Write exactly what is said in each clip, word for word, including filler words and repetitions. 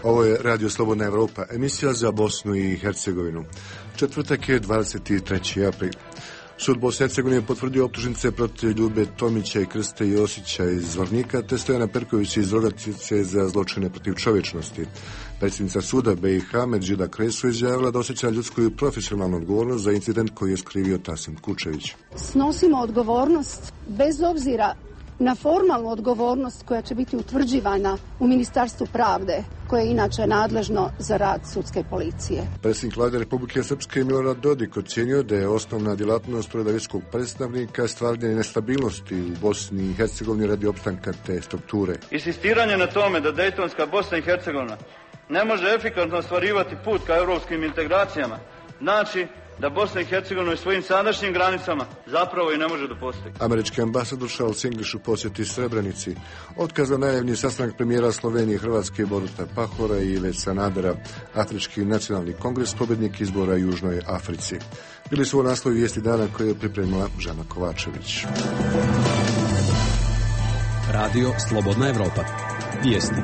Ovo je Radio Slobodna Evropa, emisija za Bosnu i Hercegovinu. Četvrtak je dvadeset treći april. Sud Bosne i Hercegovine potvrdio optužnice protiv Ljube Tomića i Krste Josića iz Zvornika, te Stojana Perkovića iz Rogatice za zločine protiv čovječnosti. Predsjednica suda B i H Medžida Kresu izjavila da osjeća ljudsku i profesionalnu odgovornost za incident koji je skrivio Tasim Kučević. Snosimo odgovornost bez obzira na formalnu odgovornost koja će biti utvrđivana u Ministarstvu pravde, koje je inače nadležno za rad sudske policije. Predsjednik Vlade Republike Srpske Milorad Dodik ocjenio da je osnovna djelatnost uredavijskog predstavnika stvaranje nestabilnosti u Bosni i Hercegovini radi opstanka te strukture. Insistiranje na tome da Dejtonska Bosna i Hercegovina ne može efikasno ostvarivati put ka europskim integracijama, znači da Bosna i Hercegovina u svojim sadašnjim granicama zapravo i ne može da postoji. Američki ambasador Charles English u posjeti Srebrenici otkazao najavljeni sastanak premijera Slovenije i Hrvatske Boruta Pahora i Ive Sanadera, Afrički nacionalni kongres, pobjednik izbora u Južnoj Africi. Bili su ovo naslovi vijesti dana koje je pripremila Žana Kovačević. Radio Slobodna Evropa. Vijesti.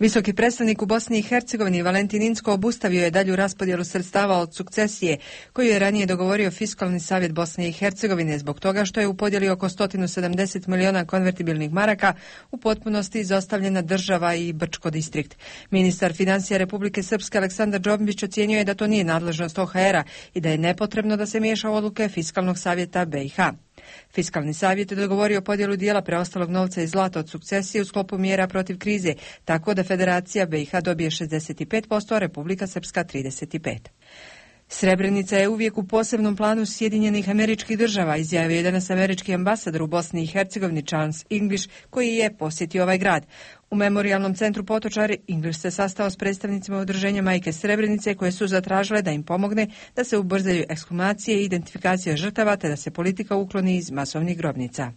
Visoki predstavnik u Bosni i Hercegovini Valentin Inzko obustavio je dalju raspodjelu sredstava od sukcesije koju je ranije dogovorio Fiskalni savjet Bosne i Hercegovine zbog toga što je u podjeli oko sto sedamdeset miliona konvertibilnih maraka u potpunosti izostavljena država i Brčko distrikt. Ministar financija Republike Srpske Aleksandar Džombić ocjenjuje da to nije nadležnost O H R-a i da je nepotrebno da se miješa u odluke Fiskalnog savjeta B i H. Fiskalni savjet je dogovorio podjelu dijela preostalog novca i zlata od sukcesije u sklopu mjera protiv krize, tako da Federacija B i H dobije šezdeset pet posto, a Republika Srpska trideset pet posto. Srebrenica je uvijek u posebnom planu Sjedinjenih Američkih Država, izjavio je danas američki ambasador u Bosni i Hercegovini Charles English, koji je posjetio ovaj grad. U memorijalnom centru Potočari English se sastao s predstavnicima udruženja Majke Srebrenice koje su zatražile da im pomogne da se ubrzaju ekshumacije i identifikacija žrtava te da se politika ukloni iz masovnih grobnica.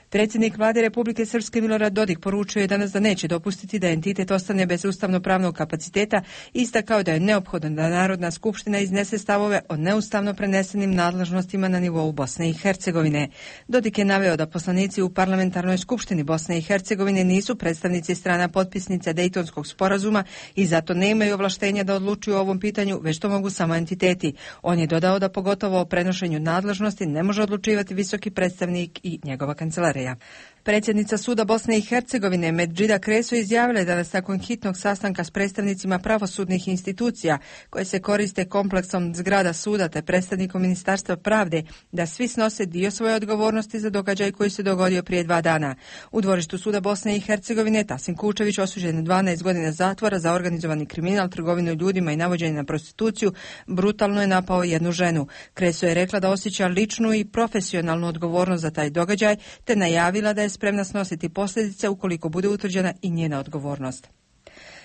Predsjednik Vlade Republike Srpske Milorad Dodik poručio je danas da neće dopustiti da entitet ostane bez ustavno-pravnog kapaciteta i istakao da je neophodno da Narodna skupština iznese stavove o neustavno prenesenim nadležnostima na nivou Bosne i Hercegovine. Dodik je naveo da poslanici u parlamentarnoj skupštini Bosne i Hercegovine nisu predstavnici strana potpisnica Dejtonskog sporazuma i zato nemaju ovlaštenja da odlučuju o ovom pitanju, već to mogu samo entiteti. On je dodao da pogotovo o prenošenju nadležnosti ne može odlučivati visoki predstavnik i njegova kancelarija. Predsjednica suda Bosne i Hercegovine Medžida Kresu izjavila je danas nakon hitnog sastanka s predstavnicima pravosudnih institucija koje se koriste kompleksom zgrada suda te predstavnikom Ministarstva pravde da svi snose dio svoje odgovornosti za događaj koji se dogodio prije dva dana. U dvorištu suda Bosne i Hercegovine Tasim Kučević osuđen na dvanaest godina zatvora za organizovani kriminal, trgovinu ljudima i navođenje na prostituciju brutalno je napao jednu ženu. Kresu je rekla da osjeća ličnu i profesionalnu odgovornost za taj događaj te najavila da je spremna snositi posljedice ukoliko bude utvrđena i njena odgovornost.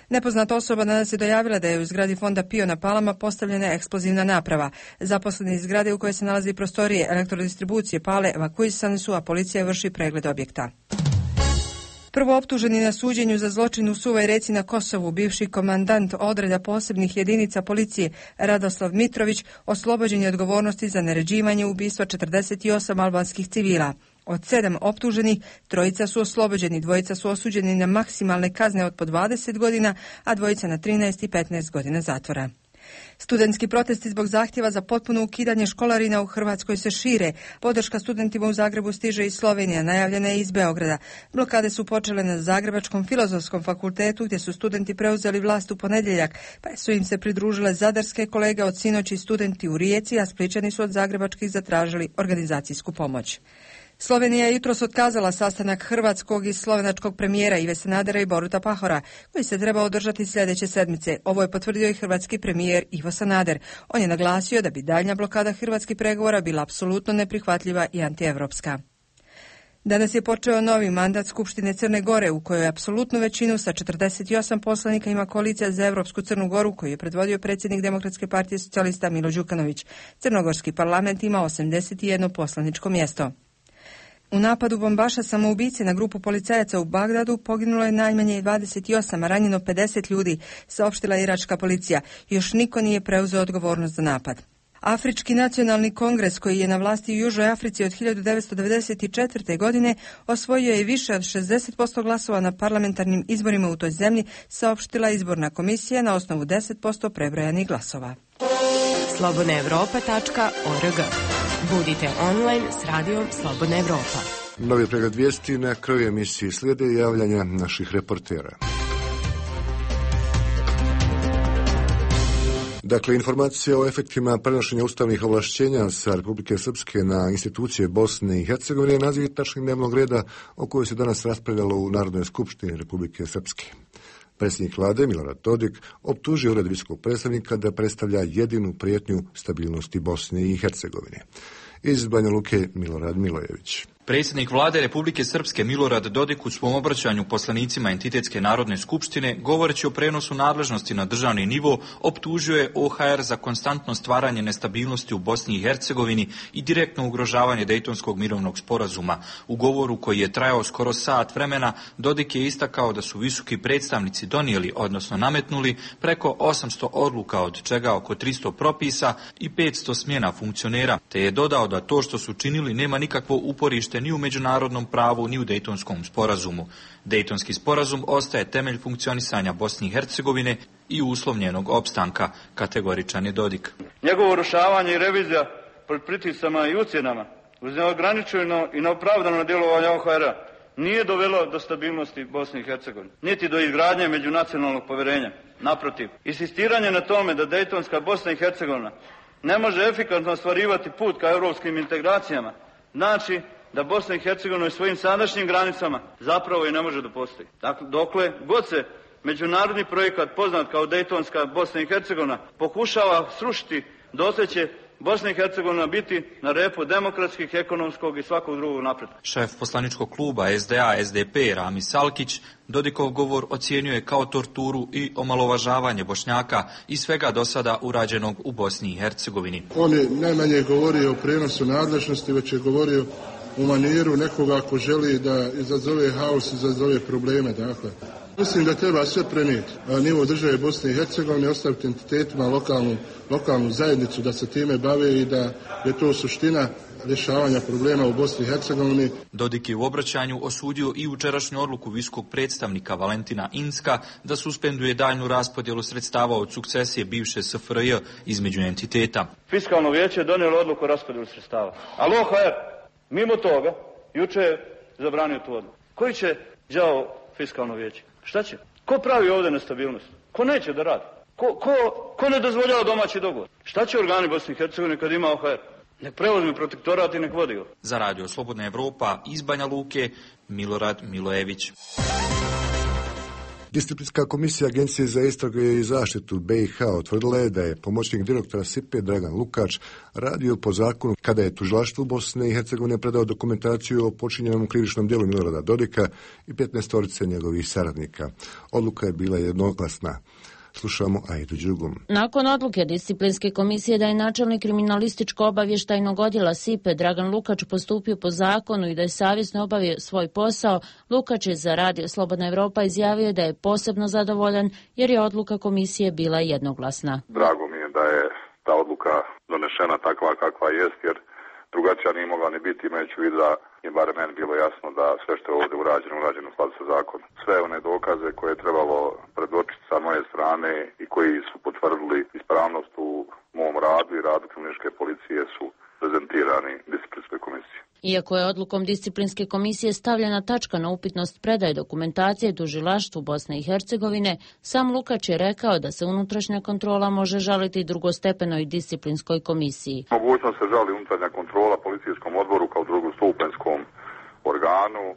Nepoznata osoba danas je dojavila da je u zgradi fonda Pio na Palama postavljena eksplozivna naprava. Zaposleni iz zgrade u kojoj se nalazi prostorije elektrodistribucije Pale evakuisani su, a policija vrši pregled objekta. Prvo optuženi na suđenju za zločin u Suvoj Reci na Kosovu, bivši komandant odreda posebnih jedinica policije Radoslav Mitrović, oslobođen je odgovornosti za naređivanje ubistva četrdeset osam albanskih civila. Od sedam optuženih, trojica su oslobođeni, dvojica su osuđeni na maksimalne kazne od po dvadeset godina, a dvojica na trinaest i petnaest godina zatvora. Studentski protesti zbog zahtjeva za potpuno ukidanje školarina u Hrvatskoj se šire. Podrška studentima u Zagrebu stiže iz Slovenije, najavljena je iz Beograda. Blokade su počele na Zagrebačkom filozofskom fakultetu gdje su studenti preuzeli vlast u ponedjeljak, pa su im se pridružile zadarske kolege od sinoći studenti u Rijeci, a Splićani su od zagrebačkih zatražili organizacijsku pomoć. Slovenija je jutros otkazala sastanak hrvatskog i slovenačkog premijera Ive Sanadera i Boruta Pahora, koji se treba održati sljedeće sedmice. Ovo je potvrdio i hrvatski premijer Ivo Sanader. On je naglasio da bi daljnja blokada hrvatskih pregovora bila apsolutno neprihvatljiva i antievropska. Danas je počeo novi mandat Skupštine Crne Gore, u kojoj apsolutnu većinu sa četrdeset osam poslanika ima koalicija za Evropsku Crnu Goru, koju je predvodio predsjednik Demokratske partije socijalista Milo Đukanović. Crnogorski parlament ima osamdeset jedno poslaničko mjesto. U napadu bombaša samoubice na grupu policajaca u Bagdadu poginulo je najmanje dvadeset osam, a ranjeno pedeset ljudi, saopštila je iračka policija. Još niko nije preuzeo odgovornost za napad. Afrički nacionalni kongres, koji je na vlasti u Južnoj Africi od hiljadu devetsto devedeset četvrte. godine, osvojio je više od šezdeset posto glasova na parlamentarnim izborima u toj zemlji, saopštila izborna komisija na osnovu deset posto prebrojanih glasova. slobodna evropa tačka org. Budite online s radijom Slobodna Evropa. Novi pregled vijesti na kraju emisiji slijede javljanja naših reportera. Dakle, informacija o efektima prenošenja ustavnih ovlašćenja sa Republike Srpske na institucije Bosne i Hercegovine je naziv tačke dnevnog reda o kojoj se danas raspravljalo u Narodnoj skupštini Republike Srpske. Predsjednik vlade Milorad Dodik optužio ured visokog predstavnika da predstavlja jedinu prijetnju stabilnosti Bosne i Hercegovine. Iz Banja Luke Milorad Milojević. Predsjednik vlade Republike Srpske Milorad Dodik u svom obraćanju poslanicima Entitetske narodne skupštine, govoreći o prenosu nadležnosti na državni nivo, optužio je O H R za konstantno stvaranje nestabilnosti u Bosni i Hercegovini i direktno ugrožavanje Dejtonskog mirovnog sporazuma. U govoru koji je trajao skoro sat vremena, Dodik je istakao da su visoki predstavnici donijeli, odnosno nametnuli, preko osamsto odluka, od čega oko tristo propisa i petsto smjena funkcionera, te je dodao da to što su činili nema nikakvo uporište ni u međunarodnom pravu, ni u Dejtonskom sporazumu. Dejtonski sporazum ostaje temelj funkcionisanja Bosne i Hercegovine i uslovljenog opstanka, kategoričan je Dodik. Njegovo urušavanje i revizija pod pritiscama i ucjenama uz neograničeno i neopravdano djelovanje O H R-a nije dovelo do stabilnosti Bosne i Hercegovine, niti do izgradnje međunacionalnog povjerenja. Naprotiv, insistiranje na tome da Dejtonska Bosna i Hercegovina ne može efikasno ostvarivati put ka europskim integracijama, znači da Bosna i Hercegovina u svojim sadašnjim granicama zapravo i ne može da postoji. Dakle, dokle god se međunarodni projekat poznat kao Dejtonska Bosna i Hercegovina pokušava srušiti, dotle će Bosna i Hercegovina biti na repu demokratskih, ekonomskog i svakog drugog napretka. Šef poslaničkog kluba S D A S D P Rami Salkić Dodikov govor ocijenjuje kao torturu i omalovažavanje Bošnjaka i svega do sada urađenog u Bosni i Hercegovini. On je najmanje govorio o prenosu nadležnosti, već je govorio u maniru nekoga ko želi da izazove haos, izazove probleme. Dakle, mislim da treba sve prenijeti na nivo države Bosne i Hercegovine, ostaviti entitetima lokalnu, lokalnu zajednicu da se time bave i da je to suština rješavanja problema u Bosni i Hercegovini. Dodik je u obraćanju osudio i jučerašnju odluku visokog predstavnika Valentina Inzka da suspenduje daljnju raspodjelu sredstava od sukcesije bivše S F R J između entiteta. Fiskalno vijeće je donijelo odluku o raspodjelu sredstava, ali O H R mimo toga juče je zabranio tu odluku. Koji će đavo fiskalno vijeće? Šta će? Ko pravi ovdje nestabilnost? Ko neće da radi? Ko, ko, ko ne dozvoljava domaći dogovor? Šta će organi Bosne i Hercegovine kad ima O H R? Nek preuzme protektorat i nek vodi go. Za Radio Slobodna Evropa iz Banja Luke, Milorad Milojević. Disciplinska komisija Agencije za istrage i zaštitu B i H utvrdila je da je pomoćnik direktora S I P-e Dragan Lukač radio po zakonu kada je tužilaštvu Bosne i Hercegovine predao dokumentaciju o počinjenom krivičnom djelu Milorada Dodika i petnaestorice njegovih saradnika. Odluka je bila jednoglasna. Slušamo Ajdu Đugum. Nakon odluke disciplinske komisije da je načelnik kriminalističko-obavještajnog odjela S I P-e Dragan Lukač postupio po zakonu i da je savjesno obavio svoj posao, Lukač je za Radio Slobodna Evropa izjavio da je posebno zadovoljan jer je odluka komisije bila jednoglasna. Drago mi je da je ta odluka donešena takva kakva jest, jer drugačija nije mogla ni biti, imajući u vidu da je bar meni bilo jasno da sve što je ovdje urađeno, urađeno u skladu sa zakonom. Sve one dokaze koje je trebalo predočiti sa moje strane i koji su potvrdili ispravnost u mom radu i radu kriminalističke policije su prezentirani disciplinskoj komisiji. Iako je odlukom disciplinske komisije stavljena tačka na upitnost predaje dokumentacije tužilaštvu Bosne i Hercegovine, sam Lukač je rekao da se unutrašnja kontrola može žaliti drugostepenoj disciplinskoj komisiji. Mogućnost se žali unutrašnja kontrola policijskom odboru kao drugostupenskom organu e,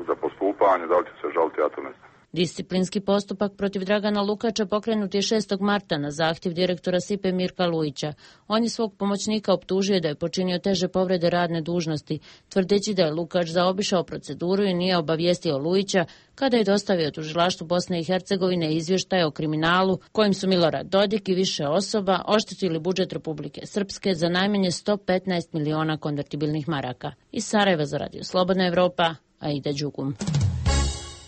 za postupanje, da li će se žaliti, ja to ne znam. Disciplinski postupak protiv Dragana Lukača pokrenut je šestog marta na zahtjev direktora S I P-e Mirka Lujića. On je svog pomoćnika optužio da je počinio teže povrede radne dužnosti, tvrdeći da je Lukač zaobišao proceduru i nije obavijestio Lujića kada je dostavio tužilaštvu Bosne i Hercegovine izvještaj o kriminalu kojim su Milorad Dodik i više osoba oštetili budžet Republike Srpske za najmanje sto petnaest miliona konvertibilnih maraka. Iz Sarajeva za Radio Slobodna Evropa, Aida Đugum.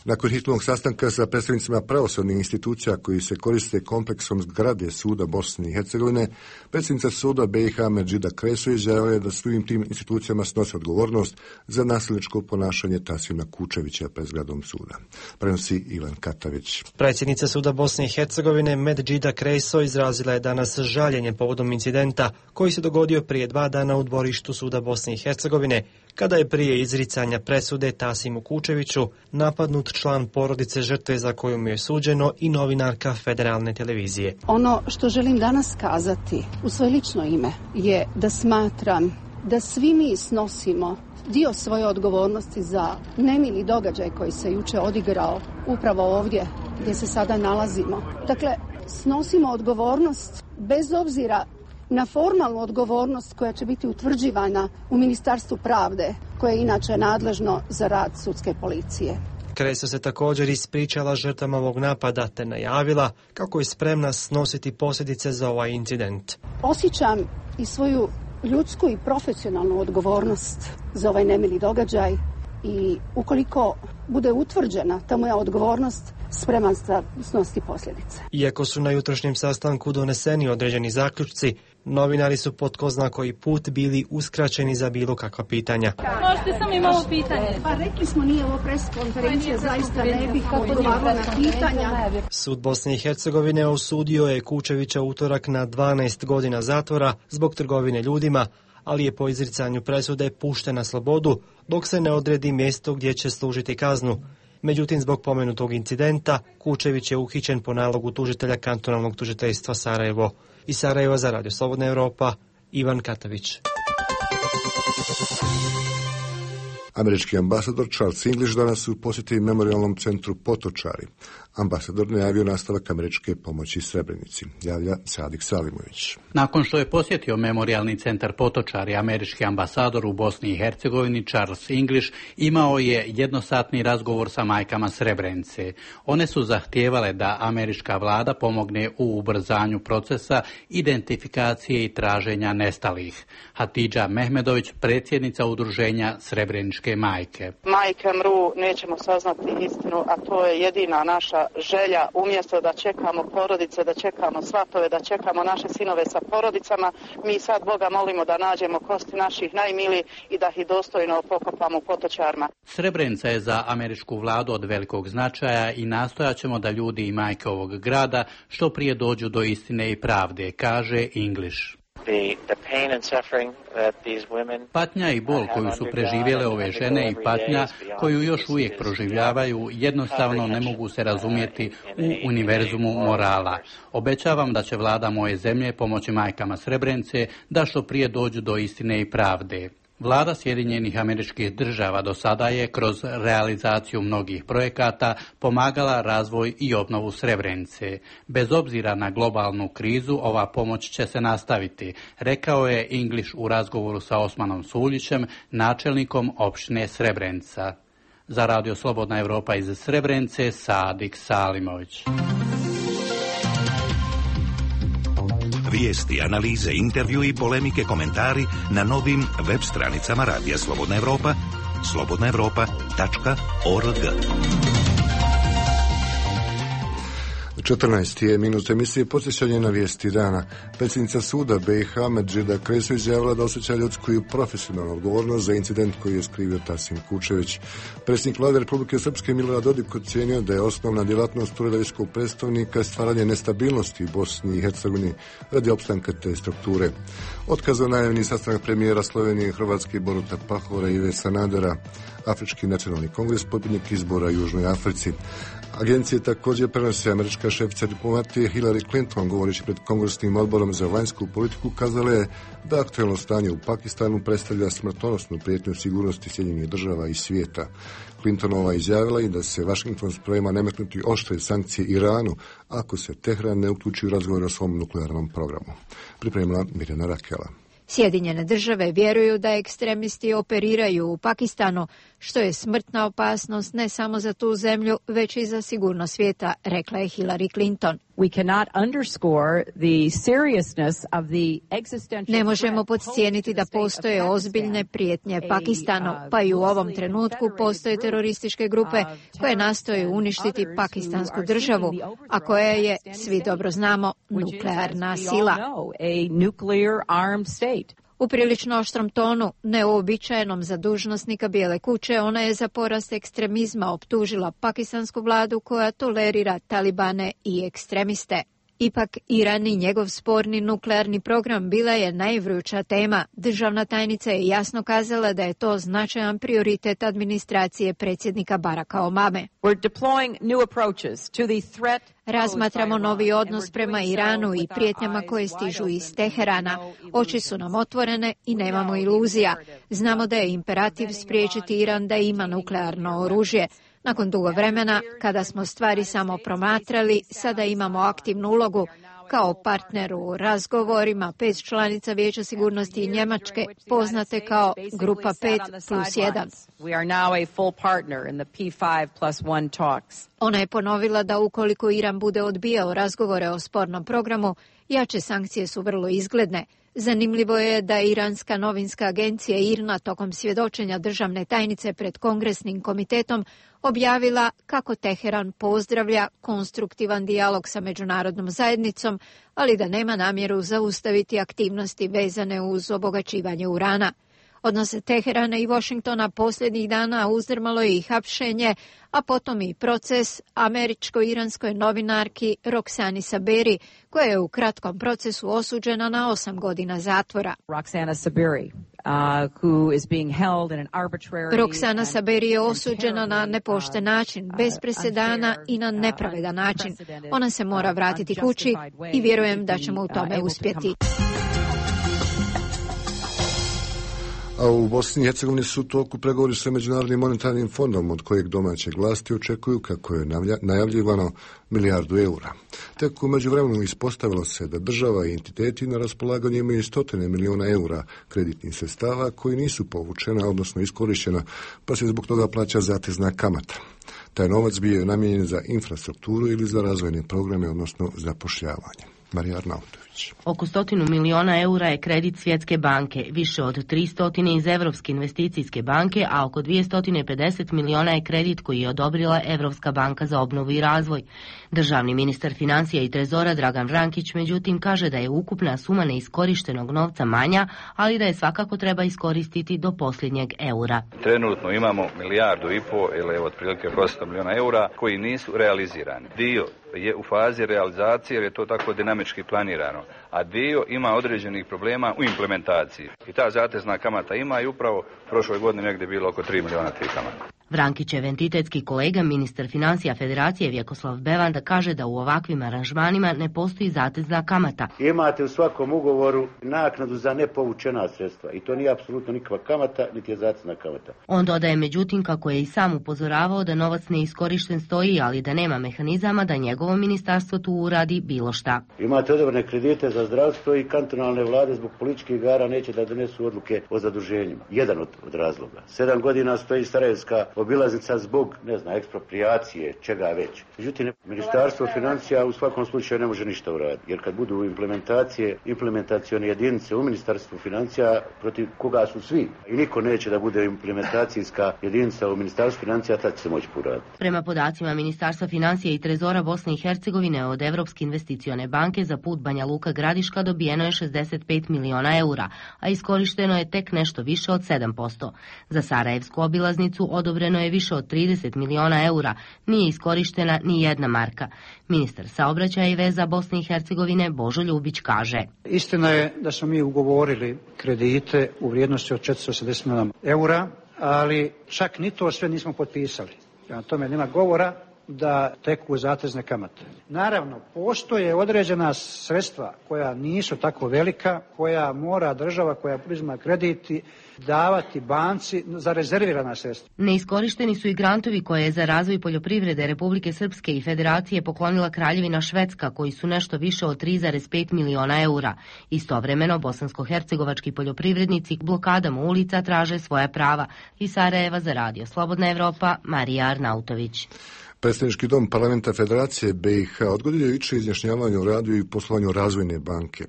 Nakon hitnog sastanka sa predstavnicima pravosudnih institucija koji se koriste kompleksom zgrade suda Bosne i Hercegovine, predsjednica suda B i H Medžida Kreso izjavila je da svim tim institucijama snose odgovornost za nasilničko ponašanje Tasima Kučevića pred zgradom suda. Prenosi Ivan Katavić. Predsjednica suda Bosne i Hercegovine Medžida Kreso izrazila je danas žaljenje povodom incidenta koji se dogodio prije dva dana u dvorištu suda Bosne i Hercegovine, kada je prije izricanja presude Tasimu Kučeviću napadnut član porodice žrtve za koju mu je suđeno i novinarka Federalne televizije. Ono što želim danas kazati u svoje lično ime je da smatram da svi mi snosimo dio svoje odgovornosti za nemili događaj koji se juče odigrao upravo ovdje gdje se sada nalazimo. Dakle, snosimo odgovornost bez obzira na formalnu odgovornost koja će biti utvrđivana u Ministarstvu pravde, koje je inače nadležno za rad sudske policije. Kreso se također ispričala žrtvama ovog napada te najavila kako je spremna snositi posljedice za ovaj incident. Osjećam i svoju ljudsku i profesionalnu odgovornost za ovaj nemili događaj i ukoliko bude utvrđena ta moja odgovornost, spreman sam snositi posljedice. Iako su na jutrošnjem sastanku doneseni određeni zaključci, novinari su po tko zna koji put bili uskraćeni za bilo kakva pitanja. Možete samo i malo pitanje. Pa rekli smo, nije ovo pres konferencija, zaista ne bih odgovarala na pitanja. Sud Bosne i Hercegovine osudio je Kučevića utorak na dvanaest godina zatvora zbog trgovine ljudima, ali je po izricanju presude pušten na slobodu dok se ne odredi mjesto gdje će služiti kaznu. Međutim, zbog pomenutog incidenta, Kučević je uhićen po nalogu tužitelja kantonalnog tužiteljstva Sarajevo. Iz Sarajeva za Radio Slobodna Evropa, Ivan Katavić. Američki ambasador Charles English danas u posjeti memorialnom centru Potočari. Ambasador najavio nastavak američke pomoći Srebrenici. Javlja Sadik Salimović. Nakon što je posjetio memorialni centar Potočari, američki ambasador u Bosni i Hercegovini Charles English imao je jednosatni razgovor sa majkama Srebrenice. One su zahtijevale da američka vlada pomogne u ubrzanju procesa identifikacije i traženja nestalih. Hatidža Mehmedović, predsjednica udruženja Srebreničke majke. Majke mru, nećemo saznati istinu, a to je jedina naša želja. Umjesto da čekamo porodice, da čekamo svatove, da čekamo naše sinove sa porodicama, mi sad Boga molimo da nađemo kosti naših najmiliji i da ih dostojno pokopamo u Potočarima. Srebrenica je za američku vladu od velikog značaja i nastojat ćemo da ljudi i majke ovog grada što prije dođu do istine i pravde, kaže English. Patnja i bol koju su preživjele ove žene i patnja koju još uvijek proživljavaju jednostavno ne mogu se razumjeti u univerzumu morala. Obećavam da će vlada moje zemlje pomoći majkama Srebrenice da što prije dođu do istine i pravde. Vlada Sjedinjenih Američkih Država do sada je kroz realizaciju mnogih projekata pomagala razvoj i obnovu Srebrenice. Bez obzira na globalnu krizu, ova pomoć će se nastaviti, rekao je English u razgovoru sa Osmanom Suljićem, načelnikom opštine Srebrenica. Za Radio Slobodna Evropa iz Srebrenice, Sadik Salimović. Vijesti, analize, intervju i polemike, komentari na novim web stranicama Radija Slobodna Evropa, slobodna evropa tačka org. četrnaesti je minut emisije podsjećanje na vijesti dana. Predsjednica suda B i H Medžida Kreso izjavila da osjeća ljudsku i profesionalnu odgovornost za incident koji je skrivio Tasim Kučević. Predsjednik Vlade Republike Srpske Milorad Dodik ocenio da je osnovna djelatnost uredovskog predstavnika stvaranje nestabilnosti u Bosni i Hercegovini radi opstanka te strukture. Otkazao najavljeni sastanak premijera Slovenije i Hrvatske Boruta Pahora i Ive Sanadera, Afrički nacionalni kongres, pobjednik izbora u Južnoj Africi. Agencije također prenose američka šefica diplomatije Hillary Clinton, govoreći pred Kongresnim odborom za vanjsku politiku, kazala je da aktuelno stanje u Pakistanu predstavlja smrtonosnu prijetnju sigurnosti Sjedinjenih država i svijeta. Clintonova izjavila i da se Washington sprema nametnuti oštre sankcije Iranu ako se Tehran ne uključi u razgovor o svom nuklearnom programu. Pripremila Mirjana Rakela. Sjedinjene države vjeruju da ekstremisti operiraju u Pakistanu, što je smrtna opasnost ne samo za tu zemlju, već i za sigurnost svijeta, rekla je Hillary Clinton. Ne možemo podcijeniti da postoje ozbiljne prijetnje Pakistanu, pa i u ovom trenutku postoje terorističke grupe koje nastoje uništiti pakistansku državu, a koja je, svi dobro znamo, nuklearna sila. U prilično oštrom tonu, neuobičajenom za dužnosnika Bijele kuće, ona je za porast ekstremizma optužila pakistansku vladu koja tolerira talibane i ekstremiste. Ipak, Iran i njegov sporni nuklearni program bila je najvruća tema. Državna tajnica je jasno kazala da je to značajan prioritet administracije predsjednika Baracka Obame. Razmatramo novi odnos prema Iranu i prijetnjama koje stižu iz Teherana. Oči su nam otvorene i nemamo iluzija. Znamo da je imperativ spriječiti Iran da ima nuklearno oružje. Nakon dugo vremena, kada smo stvari samo promatrali, sada imamo aktivnu ulogu kao partner u razgovorima pet članica Vijeća sigurnosti i Njemačke, poznate kao Grupa pet plus jedan. Ona je ponovila da ukoliko Iran bude odbijao razgovore o spornom programu, jače sankcije su vrlo izgledne. Zanimljivo je da je iranska novinska agencija I R N A tokom svjedočenja državne tajnice pred Kongresnim komitetom objavila kako Teheran pozdravlja konstruktivan dijalog sa međunarodnom zajednicom, ali da nema namjeru zaustaviti aktivnosti vezane uz obogaćivanje urana. Odnose Teherana i Washingtona posljednjih dana uzdrmalo je i hapšenje, a potom i proces američko-iranskoj novinarki Roxani Saberi, koja je u kratkom procesu osuđena na osam godina zatvora. Roxana Saberi. Uh, who is being held in an arbitrary Roxana Saberi je osuđena na nepošten način, bez presedana i na nepravedan način. Ona se mora vratiti kući i vjerujem da ćemo u tome uspjeti. A u Bosni i Hercegovini su u toku pregovori sa Međunarodnim monetarnim fondom, od kojeg domaće vlasti očekuju, kako je najavljivano, milijardu eura. Tek u međuvremenu ispostavilo se da država i entiteti na raspolaganju imaju stotine miliona eura kreditnih sredstava koji nisu povučena, odnosno iskorištena, pa se zbog toga plaća zatezna kamata. Taj novac bio je namijenjen za infrastrukturu ili za razvojne programe, odnosno zapošljavanje. Marija Arnautović. Oko stotinu miliona eura je kredit Svjetske banke, više od tristotine iz Evropske investicijske banke, a oko dvjesto pedeset miliona je kredit koji je odobrila Evropska banka za obnovu i razvoj. Državni ministar financija i trezora Dragan Vrankić međutim kaže da je ukupna suma neiskorištenog novca manja, ali da je svakako treba iskoristiti do posljednjeg eura. Trenutno imamo milijardu i po ili otprilike osamsto miliona eura koji nisu realizirani. Dio je u fazi realizacije jer je to tako dinamički planirano, a dio ima određenih problema u implementaciji. I ta zatezna kamata ima i upravo prošle godine negdje bilo oko tri miliona tih kamata. Vrankićev entitetski kolega, ministar financija Federacije Vjekoslav Bevanda, kaže da u ovakvim aranžmanima ne postoji zatezna kamata. Imate u svakom ugovoru naknadu za nepovučena sredstva i to nije apsolutno nikakva kamata, niti je zatezna kamata. On dodaje međutim kako je i sam upozoravao da novac neiskorišten stoji, ali da nema mehanizama da njegovo ministarstvo tu uradi bilo šta. Imate odobrene kredite za zdravstvo i kantonalne vlade zbog političkih igara neće da donesu odluke o zaduženjima. Jedan od, od razloga. Sedam godina stoji Sarajevska obilaznica zbog, ne znam, eksproprijacije, čega već. Međutim, Ministarstvo financija u svakom slučaju ne može ništa uraditi, jer kad budu implementacije, implementacione jedinice u Ministarstvu financija protiv koga su svi i niko neće da bude implementacijska jedinica u Ministarstvu financija, tad će se moći poraditi. Prema podacima Ministarstva financija i trezora Bosne i Hercegovine od Evropske investicione banke za put Banja Luka Gradiška dobijeno je šezdeset pet miliona eura, a iskorišteno je tek nešto više od sedam posto. Za Sarajevsku obilaznicu odobreno je više od trideset miliona eura, nije iskorištena ni jedna marka. Ministar saobraćaja i veza Bosne i Hercegovine Božo Ljubić kaže: Istina je da smo mi ugovorili kredite u vrijednosti od četiristo osamdeset miliona eura, ali čak ni to sve nismo potpisali. Prema tome nema govora da teku zatezne kamate. Naravno, postoje određena sredstva koja nisu tako velika, koja mora država koja uzima krediti davati banci za rezervirana sredstva. Neiskorišteni su i grantovi koje je za razvoj poljoprivrede Republike Srpske i Federacije poklonila Kraljevina Švedska, koji su nešto više od tri zarez pet miliona eura. Istovremeno, bosansko-hercegovački poljoprivrednici blokadama ulica traže svoja prava. Iz Sarajeva za Radio Slobodna Evropa, Marija Arnautović. Predstavnički dom parlamenta Federacije B i H odgodio jučer izjašnjavanje o radu i poslovanju Razvojne banke.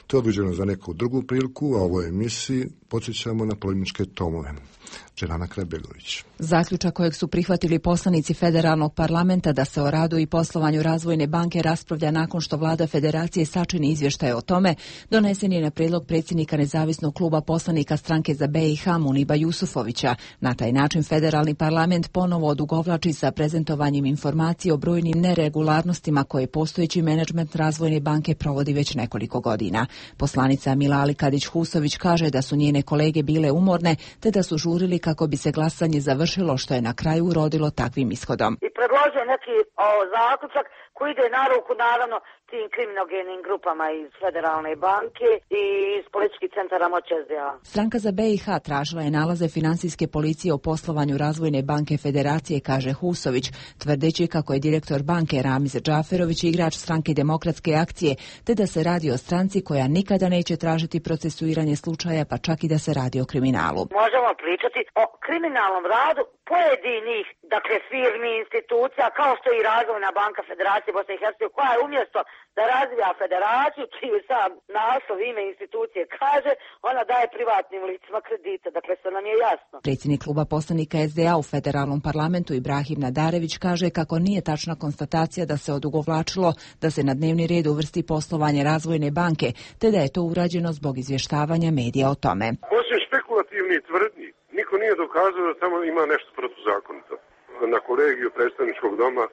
To je odgođeno za neku drugu priliku, a u ovoj emisiji podsjećamo na polemičke tomove. Dženana Krabegović. Zaključak kojeg su prihvatili poslanici federalnog parlamenta da se o radu i poslovanju Razvojne banke raspravlja nakon što vlada Federacije sačini izvještaj o tome, donesen je na prijedlog predsjednika nezavisnog kluba poslanika stranke za B i H Muniba Jusufovića. Na taj način federalni parlament ponovo odugovlači sa prezentovanjem informacije o brojnim neregularnostima koje postojeći menadžment Razvojne banke provodi već nekoliko godina. Poslanica Milali Kadić-Husović kaže da su njene kolege bile umorne te da su žurili kako bi se glasanje završilo, što je na kraju urodilo takvim ishodom. I predložio neki o, zaključak koji ide na ruku naravno tim kriminogenim grupama iz Federalne banke i iz političkih centara moći S D A. Stranka za B i H tražila je nalaze finansijske policije o poslovanju Razvojne banke Federacije, kaže Husović, tvrdeći kako je direktor banke Ramiz Džaferović igrač stranke Demokratske akcije, te da se radi o stranci koja nikada neće tražiti procesuiranje slučaja, pa čak i da se radi o kriminalu. Možemo pričati o kriminalnom radu pojedinih, dakle, firmi, institucija, kao što je i Razvojna banka Federacije Bosne i Hercegovine, koja je umjesto da razvija federaciju, čiji sam naslov ime institucije kaže, ona daje privatnim licima kredite, dakle, sve nam je jasno. Predsjednik kluba poslanika S D A u federalnom parlamentu Ibrahim Nadarević kaže kako nije tačna konstatacija da se odugovlačilo da se na dnevni red uvrsti poslovanje Razvojne banke, te da je to urađeno zbog izvještavanja medija o tome. Osim špekulativnih tvrdnji, niko nije dokazao da tamo ima nešto protuzakonito. Na kolegiju predstavničkog doma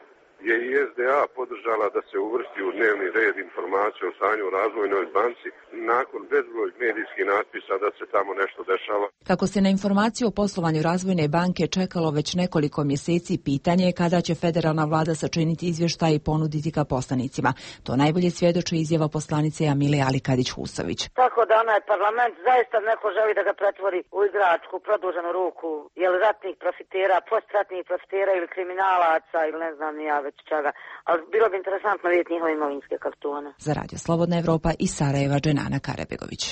je i S D A podržala da se uvrsti u dnevni red informacije o stanju u Razvojnoj banci nakon bezbroj medijskih natpisa da se tamo nešto dešava. Kako se na informaciju o poslovanju Razvojne banke čekalo već nekoliko mjeseci, pitanje je kada će federalna vlada sačiniti izvještaj i ponuditi ga poslanicima. To najbolje svjedoči izjava poslanice Amile Ali Kadić-Husović. Tako da onaj parlament zaista neko želi da ga pretvori u igračku, produženu ruku, je li ratnih profitera, postratnih profitera ili kriminalaca ili ne znam ni ja već čega. Ali bilo bi interesantno vidjeti njihove imovinske kartone. Za Radio Slobodna Evropa iz Sarajeva, Dženana Karebegović.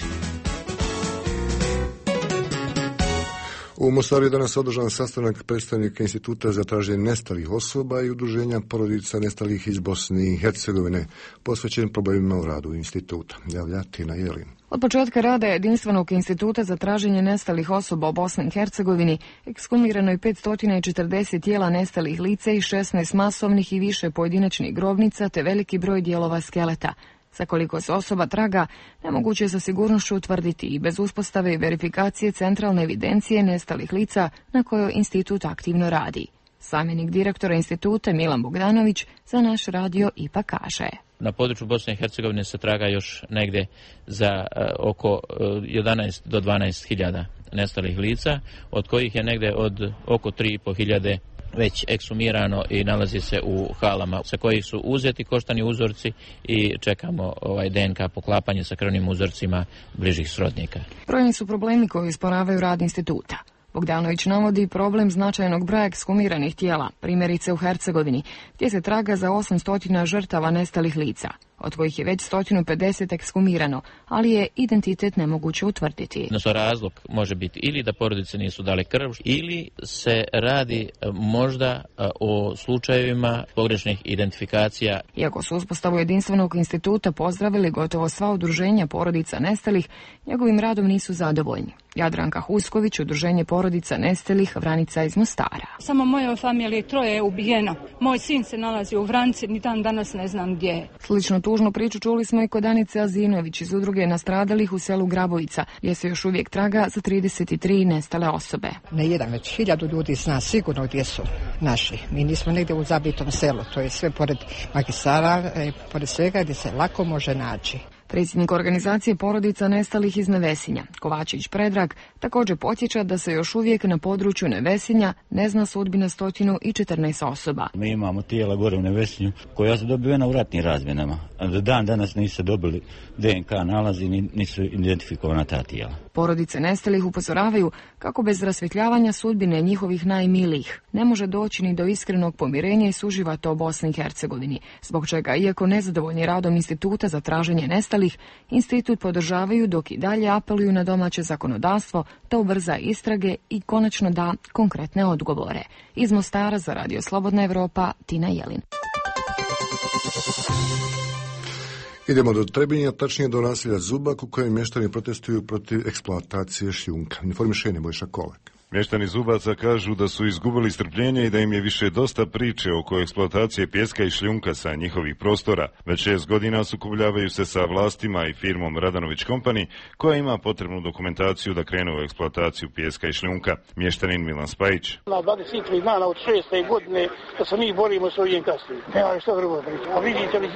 U Mostaru je danas održan sastanak predstavnika Instituta za traženje nestalih osoba i udruženja porodica nestalih iz Bosne i Hercegovine, posvećen problemima u radu instituta. Javlja Tina Jelin. Od početka rada Jedinstvenog instituta za traženje nestalih osoba u Bosni i Hercegovini ekshumirano je petsto četrdeset tijela nestalih lica i šesnaest masovnih i više pojedinačnih grobnica te veliki broj dijelova skeleta. Za koliko se osoba traga, nemoguće je sa sigurnošću utvrditi i bez uspostave i verifikacije centralne evidencije nestalih lica na kojoj institut aktivno radi. Zamjenik direktora instituta Milan Bogdanović za naš radio ipak kaže. Na području Bosne i Hercegovine se traga još negdje za uh, oko uh, jedanaest do dvanaest hiljada nestalih lica, od kojih je negdje od oko tri i po hiljade već ekshumirano i nalazi se u halama sa kojih su uzeti koštani uzorci i čekamo ovaj D N K poklapanje sa krvnim uzorcima bližih srodnika. Brojni su problemi koji usporavaju rad instituta. Bogdanović navodi problem značajnog broja ekshumiranih tijela, primjerice u Hercegovini, gdje se traga za osamsto žrtava nestalih lica, od kojih je već sto pedeset ekshumirano, ali je identitet nemoguće utvrditi. Odnosno razlog može biti ili da porodice nisu dale krv, ili se radi možda o slučajevima pogrešnih identifikacija. Iako su uspostavu Jedinstvenog instituta pozdravili gotovo sva udruženja porodica nestalih, njegovim radom nisu zadovoljni. Jadranka Husković, udruženje porodica nestalih, Vranica iz Mostara. Samo moje familije troje je ubijeno. Moj sin se nalazi u Vranici, ni dan danas ne znam gdje je. Sličnu tužnu priču čuli smo i kod Anice Azinović iz udruge nastradalih u selu Grabovica, gdje se još uvijek traga za trideset tri nestale osobe. Ne jedan, već hiljadu ljudi zna sigurno gdje su naši. Mi nismo negdje u zabitom selu, to je sve pored magistara, pored svega gdje se lako može naći. Predsjednik organizacije porodica nestalih iz Nevesinja, Kovačević Predrag, također podsjeća da se još uvijek na području Nevesinja ne zna sudbina sto četrnaest osoba. Mi imamo tijela gore u Nevesinju koja su dobivena u ratnim razmjenama. Do dan danas nisu dobili D N K nalazi, nisu identifikovana ta tijela. Porodice nestalih upozoravaju kako bez rasvjetljavanja sudbine njihovih najmilijih ne može doći ni do iskrenog pomirenja i suživota u Bosni i Hercegovini, zbog čega, iako nezadovoljni radom Instituta za traženje nestalih, institut podržavaju dok i dalje apeluju na domaće zakonodavstvo da ubrza istrage i konačno da konkretne odgovore. Iz Mostara za Radio Slobodna Evropa, Tina Jelin. Idemo do Trebinja, tačnije do naselja Zubak, u kojem mještani protestuju protiv eksploatacije šljunka. Informiše Nebojša Kolak. Mještani Zubaca kažu da su izgubili strpljenje i da im je više dosta priče oko eksploatacije pijeska i šljunka sa njihovih prostora. Već šest godina sukobljavaju se sa vlastima i firmom Radanović Company, koja ima potrebnu dokumentaciju da krene u eksploataciju pijeska i šljunka. Mještanin Milan Spajić. Na dvadeset tri dana od šeste godine da se mi borimo s ovim kasnim. Nema što drugo priča. A vidite li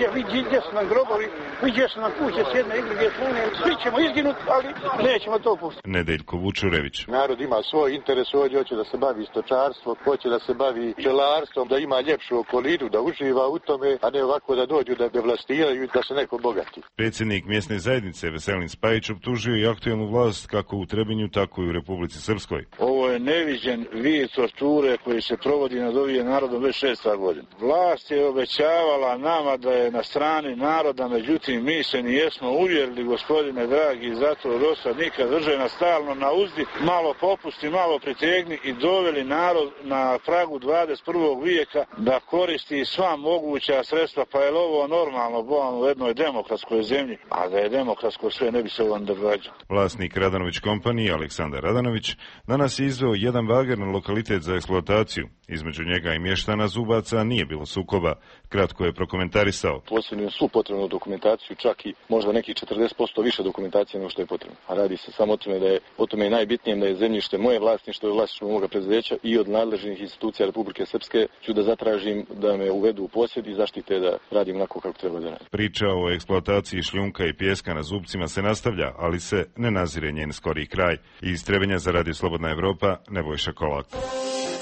gdje su nam grobovi, gdje su nam kuće s jedne i druge strane. Svi ćemo izginuti, ali nećemo to pustiti. Nedeljko Vučurević. Narod ima svoj interes, ovdje hoće da se bavi stočarstvom, hoće da se bavi pčelarstvom, da ima ljepšu okolinu, da uživa u tome, a ne ovako da dođu da devastiraju i da se neko bogati. Predsjednik mjesne zajednice Veselin Spajić optužio i aktualnu vlast kako u Trebinju, tako i u Republici Srpskoj. Ovo je neviđen vid torture koji se provodi nad ovim narodom već šest godina. Vlast je obećavala nama da je na strani naroda, međutim mi se nijesmo uvjerili, gospodine dragi, zato dosad nikad drže nas stalno na uzdi, malo popusti, malo pritegni i doveli narod na pragu dvadeset prvog vijeka da koristi sva moguća sredstva, pa je ovo normalno bo u jednoj demokratskoj zemlji, a da je demokratsko sve ne bi se ovo događalo. Vlasnik Radanović Company, Aleksandar Radanović, danas je izveo jedan bager na lokalitet za eksploataciju. Između njega i mještana Zubaca nije bilo sukoba. Kratko je prokomentarisao. Posjedujem svu potrebnu dokumentaciju, čak i možda nekih četrdeset posto više dokumentacije nego što je potrebno. A radi se samo o tome da je o tome najbitnije da je zemljište moje vlasništvo i vlasništvo moga preduzeća i od nadležnih institucija Republike Srpske ću da zatražim da me uvedu u posjed i zaštite da radim onako kako treba da radim. Priča o eksploataciji šljunka i pijeska na Zubcima se nastavlja, ali se ne nazire njen skori kraj. Iz Trebinja za Radio Slobodna Evropa, Nebojša Kolak.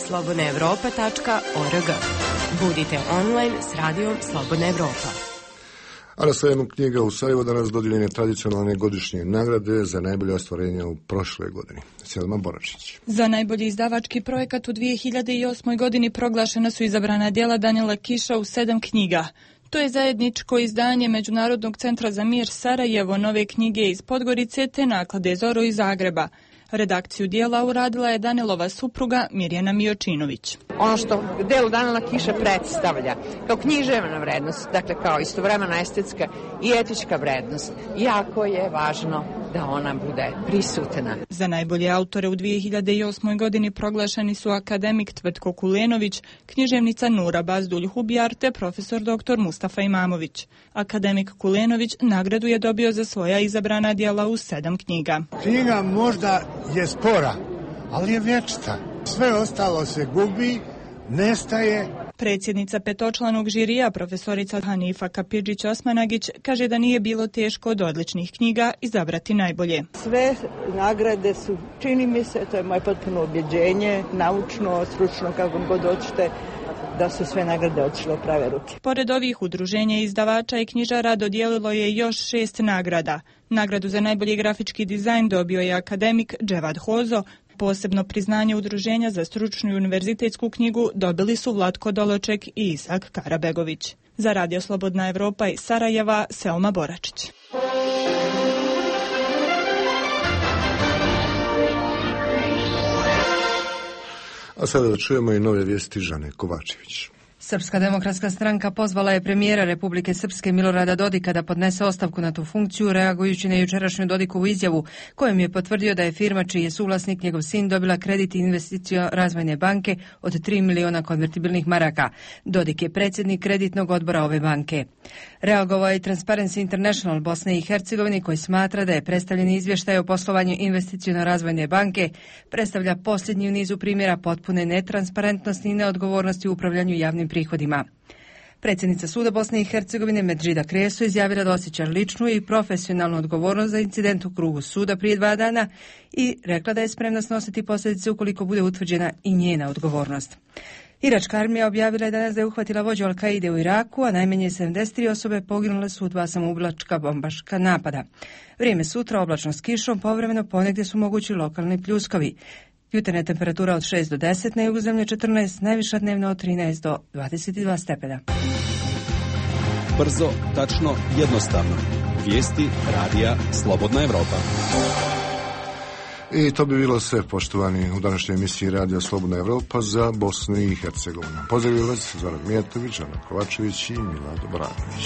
slobodna evropa tačka org. Budite online s radijom Slobodna Evropa. A na sajmu knjiga u Sarajevu danas dodijeljene tradicionalne godišnje nagrade za najbolje ostvarenja u prošle godini. Selma Boračić. Za najbolji izdavački projekat u dvije hiljade osmoj godini proglašena su izabrana djela Danila Kiša u sedam knjiga. To je zajedničko izdanje Međunarodnog centra za mir Sarajevo, Nove knjige iz Podgorice te naklade Zoro iz Zagreba. Redakciju dijela uradila je Danilova supruga Mirjana Miočinović. Ono što delo Danila Kiša predstavlja kao književna vrednost, dakle kao istovremena estetska i etička vrednost, jako je važno da ona bude prisutna. Za najbolje autore u dvije hiljade osmoj godini proglašeni su akademik Tvrtko Kulenović, književnica Nura Bazdulj-Hubjar te profesor doktor Mustafa Imamović. Akademik Kulenović nagradu je dobio za svoja izabrana djela u sedam knjiga. Knjiga možda je spora, ali je vječita. Sve ostalo se gubi, nestaje. Predsjednica petočlanog žirija, profesorica Hanifa Kapidžić-Osmanagić, kaže da nije bilo teško od odličnih knjiga izabrati najbolje. Sve nagrade su, čini mi se, to je moje potpuno ubjeđenje, naučno, stručno, kako god hoćete, da su sve nagrade otišle u prave ruke. Pored ovih udruženja izdavača i knjižara dodijelilo je još šest nagrada. Nagradu za najbolji grafički dizajn dobio je akademik Dževad Hozo. Posebno priznanje udruženja za stručnu i univerzitetsku knjigu dobili su Vlatko Določek i Isak Karabegović. Za Radio Slobodna Evropa iz Sarajeva, Selma Boračić. A sada da čujemo i nove vijesti Žane Kovačević. Srpska demokratska stranka pozvala je premijera Republike Srpske Milorada Dodika da podnese ostavku na tu funkciju, reagujući na jučerašnju Dodikovu izjavu kojom je potvrdio da je firma čiji je suvlasnik njegov sin dobila kredit investicija Razvojne banke od tri miliona konvertibilnih maraka. Dodik je predsjednik kreditnog odbora ove banke. Reagovao je Transparency International Bosne i Hercegovine koji smatra da je predstavljeni izvještaj o poslovanju investicione Razvojne banke predstavlja posljednji u nizu primjera potpune netransparentnosti i neodgovornosti u upravljanju javnim prihodima. Predsjednica suda Bosne i Hercegovine Medžida Kreso izjavila da osjeća ličnu i profesionalnu odgovornost za incident u krugu suda prije dva dana i rekla da je spremna snositi posljedice ukoliko bude utvrđena i njena odgovornost. Iračka armija objavila je danas da je uhvatila vođu Al-Kaide u Iraku, a najmanje sedamdeset tri osobe poginule su u dva samoubilačka bombaška napada. Vrijeme sutra oblačno s kišom, povremeno ponegdje su mogući lokalni pljuskovi. Jutarnja temperatura od šest do deset, na jugu zemlje četrnaest, najviša dnevno od trinaest do dvadeset dva stepena. Brzo, tačno, jednostavno. Vijesti radija Slobodna Evropa. I to bi bilo sve, poštovani, u današnjoj emisiji Radija Slobodna Evropa za Bosnu i Hercegovinu. Pozdravljaju vas Zoran Mijatović, Ana Kovačević i Milado Branović.